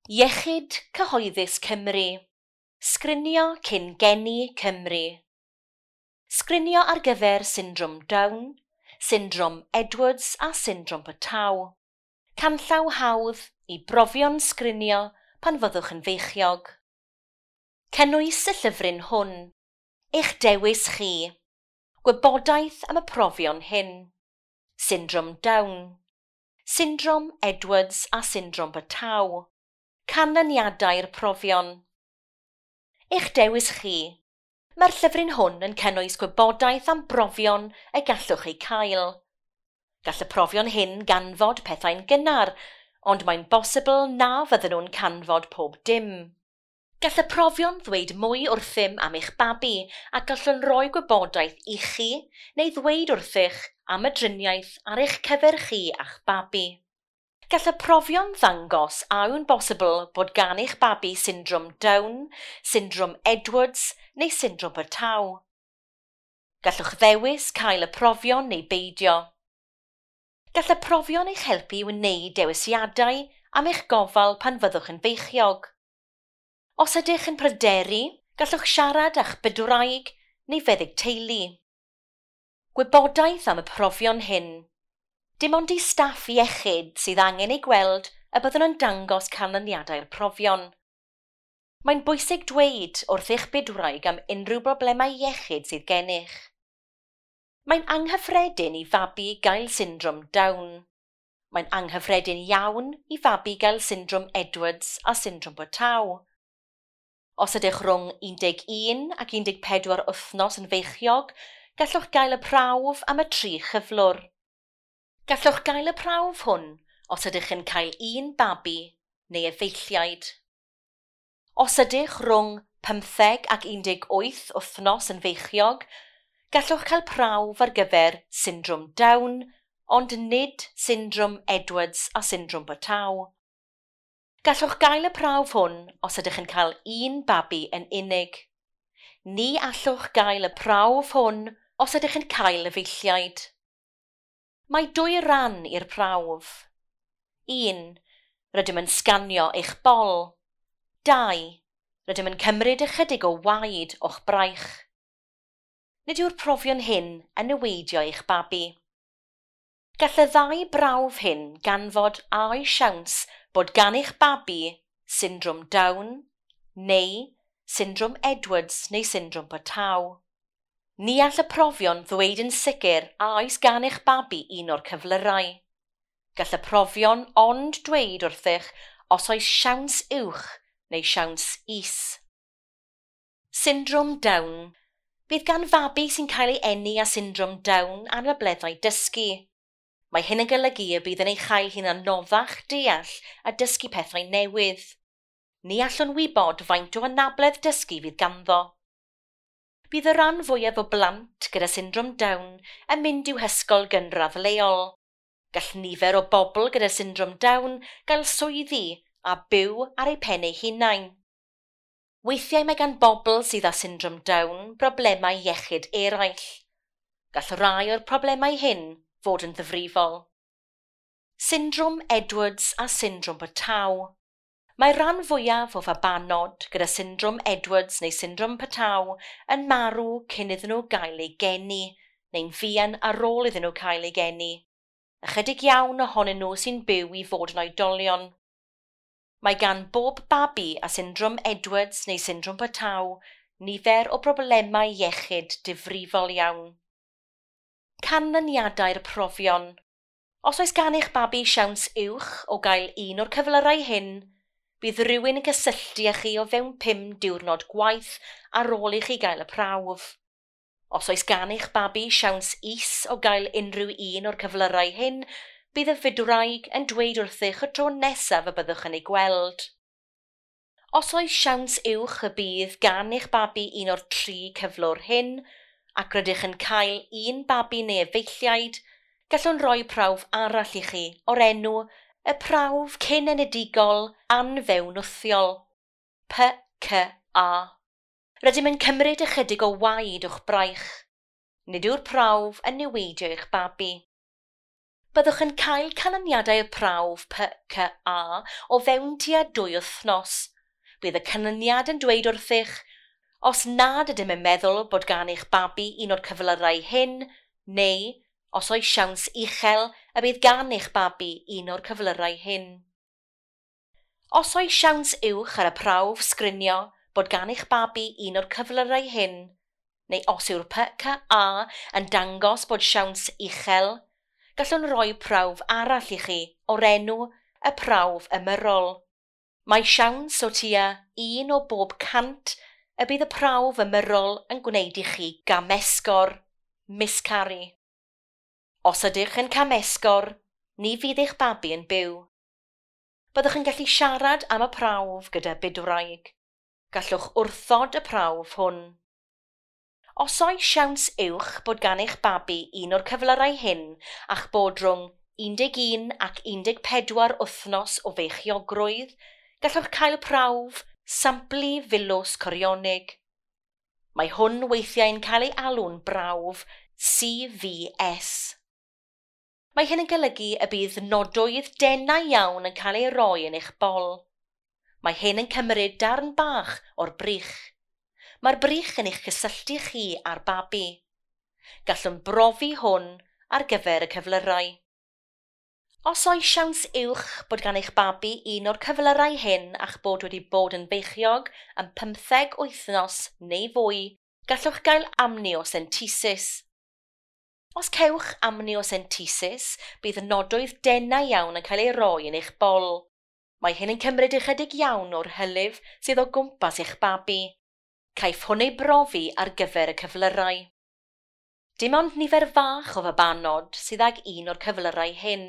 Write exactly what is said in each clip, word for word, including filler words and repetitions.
Iechyd Cyhoeddus Cymru. Sgrinio cyn geni Cymru. Sgrinio ar gyfer syndrom Down, syndrom Edwards a syndrom Patau. Canllaw hawdd i brofion sgrinio pan fyddwch yn feichiog. Cynnwys y llyfryn hwn. Eich dewis chi. Gwybodaeth am y profion hyn. Syndrom Down, Syndrom Edwards a syndrom Patau. Canlyniadau'r profion. Eich dewis chi. Mae'r llyfryn hwn yn cynnwys gwybodaeth am brofion y gallwch eu cael. Gall y profion hyn ganfod pethau'n gynnar, ond mae'n bosibl na fydden nhw'n canfod pob dim. Gall y profion ddweud mwy wrthym am eich babi a gallwn roi gwybodaeth i chi neu ddweud wrthych am y driniaeth ar eich cyfer chi a'ch babi. Gall y profion ddangos a yw'n bosibl bod gan eich babi syndrom Down, syndrom Edwards neu syndrom Patau. Gallwch ddewis cael y profion neu beidio. Gall y profion eich helpu i wneud dewisiadau am eich gofal pan fyddwch yn feichiog. Os ydych yn pryderu, gallwch siarad â'ch bydwraig neu feddyg teulu. Gwybodaeth am y profion hyn. Dim ond i staff iechyd sydd angen ei gweld y byddwn yn dangos canlyniadau'r profion. Mae'n bwysig dweud wrth eich bydwraig am unrhyw broblemau iechyd sydd gennych. Mae'n anghyffredin i fabi gael syndrom Down. Mae'n anghyffredin iawn i fabi gael syndrom Edwards a syndrom Patau. Os ydych rhwng un deg un ac un deg pedwar wythnos yn feichiog, gallwch gael y prawf am y tri chyflwr. Gallwch gael y prawf hwn os ydych yn cael un babi neu efeilliaid. Os ydych rhwng pymtheg ac un deg wyth wythnos yn feichiog, gallwch cael prawf ar gyfer syndrom Down, ond nid syndrom Edwards a syndrom Patau. Gallwch gael y prawf hwn os ydych yn cael un babi yn unig. Ni allwch gael y prawf hwn os ydych yn cael efeilliaid. Mae dwy ran i'r prawf. Un. Rydym yn sganio eich bol. Dau. Rydym yn cymryd ychydig o waed o'ch braich. Nid yw'r profion hyn yn niweidio eich babi. Gall y ddau brawf hyn ganfod a oes siawns bod gan eich babi syndrom Down neu syndrom Edwards neu syndrom Patau. Ni all y profion ddweud yn sicr a oes gan eich babi un o'r cyflyrau. Gall y profion ond dweud wrthych os oes siawns uwch neu siawns is. Syndrom Down. Bydd gan fabi sy'n cael ei eni â syndrom Down anableddau dysgu. Mae hyn yn golygu y bydd yn ei chael hi'n anoddach deall a dysgu pethau newydd. Ni allwn wybod faint o anabledd dysgu fydd ganddo. Bydd y rhan fwyaf o blant gyda syndrom Down yn mynd i'w hysgol gynradd leol. Gall nifer o bobl gyda syndrom Down gael swyddi a byw ar eu pen eu hunain. Weithiau mae gan bobl sydd â syndrom Down broblemau iechyd eraill. Gall rai o'r problemau hyn fod yn ddifrifol. Syndrom Edwards a syndrom Patau. Mae rhan fwyaf o fabanod gyda syndrom Edwards neu syndrom Patau yn marw cyn iddyn nhw gael eu geni, neu'n fuan ar ôl iddyn nhw cael eu geni. Ychydig iawn ohonyn nhw sy'n byw i fod yn oedolion. Mae gan bob babi â syndrom Edwards neu syndrom Patau nifer o broblemau iechyd difrifol iawn. Canlyniadau'r profion. Os oes gan eich babi siawns uwch o gael un o'r cyflyrau hyn, bydd rhywun yn cysylltu â chi o fewn pum diwrnod gwaith ar ôl i chi gael y prawf. Os oes gan eich babi siawns is o gael unrhyw un o'r cyflyrau hyn, bydd y fydwraig yn dweud wrthych y tro nesaf y byddwch yn ei gweld. Os oes siawns uwch y bydd gan eich babi un o'r tri cyflwr hyn, ac rydych yn cael un babi neu efeilliaid, gallwn roi prawf arall i chi o'r enw y prawf cyn-enedigol anfewnwthiol, P C A. Rydym yn cymryd ychydig o waed o'ch braich. Nid yw'r prawf yn niweidio eich babi. Byddwch yn cael canlyniadau'r prawf P C A o fewn tua dwy wythnos. Bydd y canlyniad yn dweud wrthych os nad ydym yn meddwl bod gan eich babi un o'r cyflyrau hyn, neu os oes siawns uchel y bydd gan eich babi un o'r cyflyrau hyn. Os oes siawns uwch ar y prawf sgrinio bod gan eich babi un o'r cyflyrau hyn, neu os yw'r P C A yn dangos bod siawns uchel, gallwn roi prawf arall i chi o'r enw y prawf ymyrrol. Mae siawns o tua un o bob cant y bydd y prawf ymyrrol yn gwneud i chi gamesgor, miscarry. Os ydych yn camesgor, ni fydd eich babi yn byw. Byddwch yn gallu siarad am y prawf gyda bydwraig. Gallwch wrthod y prawf hwn. Os oes siawns uwch bod gan eich babi un o'r cyflyrau hyn a'ch bod rhwng un deg un ac un deg pedwar wythnos o feichiogrwydd, gallwch cael prawf samplu filws corionig. Mae hwn weithiau'n cael ei alw'n brawf C V S. Mae hyn yn golygu y bydd nodwydd denau iawn yn cael ei roi yn eich bol. Mae hyn yn cymryd darn bach o'r brych. Mae'r brych yn eich cysylltu chi â'r babi. Gallwn brofi hwn ar gyfer y cyflyrau. Os oes siawns uwch bod gan eich babi un o'r cyflyrau hyn a'ch bod wedi bod yn beichiog am pymtheg wythnos neu fwy, gallwch gael amniocentesis. Os cewch amniocentesis, bydd nodwydd denau iawn yn cael ei roi yn eich bol. Mae hyn yn cymryd ychydig iawn o'r hylif sydd o gwmpas eich babi. Caiff hwn ei brofi ar gyfer y cyflyrau. Dim ond nifer fach o fabanod sydd ag un o'r cyflyrau hyn.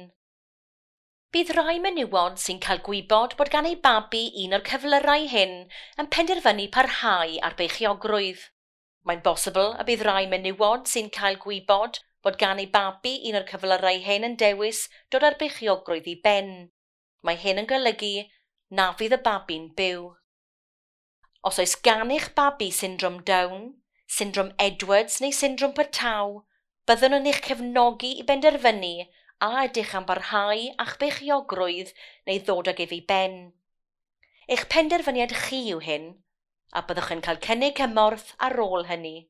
Bydd rai menywod sy'n cael gwybod bod gan eu babi un o'r cyflyrau hyn yn penderfynu parhau ar beichiogrwydd. Mae'n bosibl y bydd rai menywod sy'n cael gwybod bod gan eu babi un o'r cyflyrau hyn yn dewis dod â'r beichiogrwydd i ben. Mae hyn yn golygu na fydd y babi'n byw. Os oes gan eich babi syndrom Down, syndrom Edwards neu syndrom Patau, byddwn yn eich cefnogi i benderfynu a ydych am barhau â'ch beichiogrwydd neu ddod ag ef i ben. Eich penderfyniad chi yw hyn, a byddwch yn cael cynnig cymorth ar ôl hynny.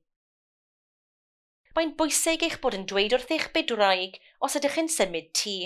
Mae'n bwysig eich bod yn dweud wrth eich bydwraig os ydych yn symud tŷ.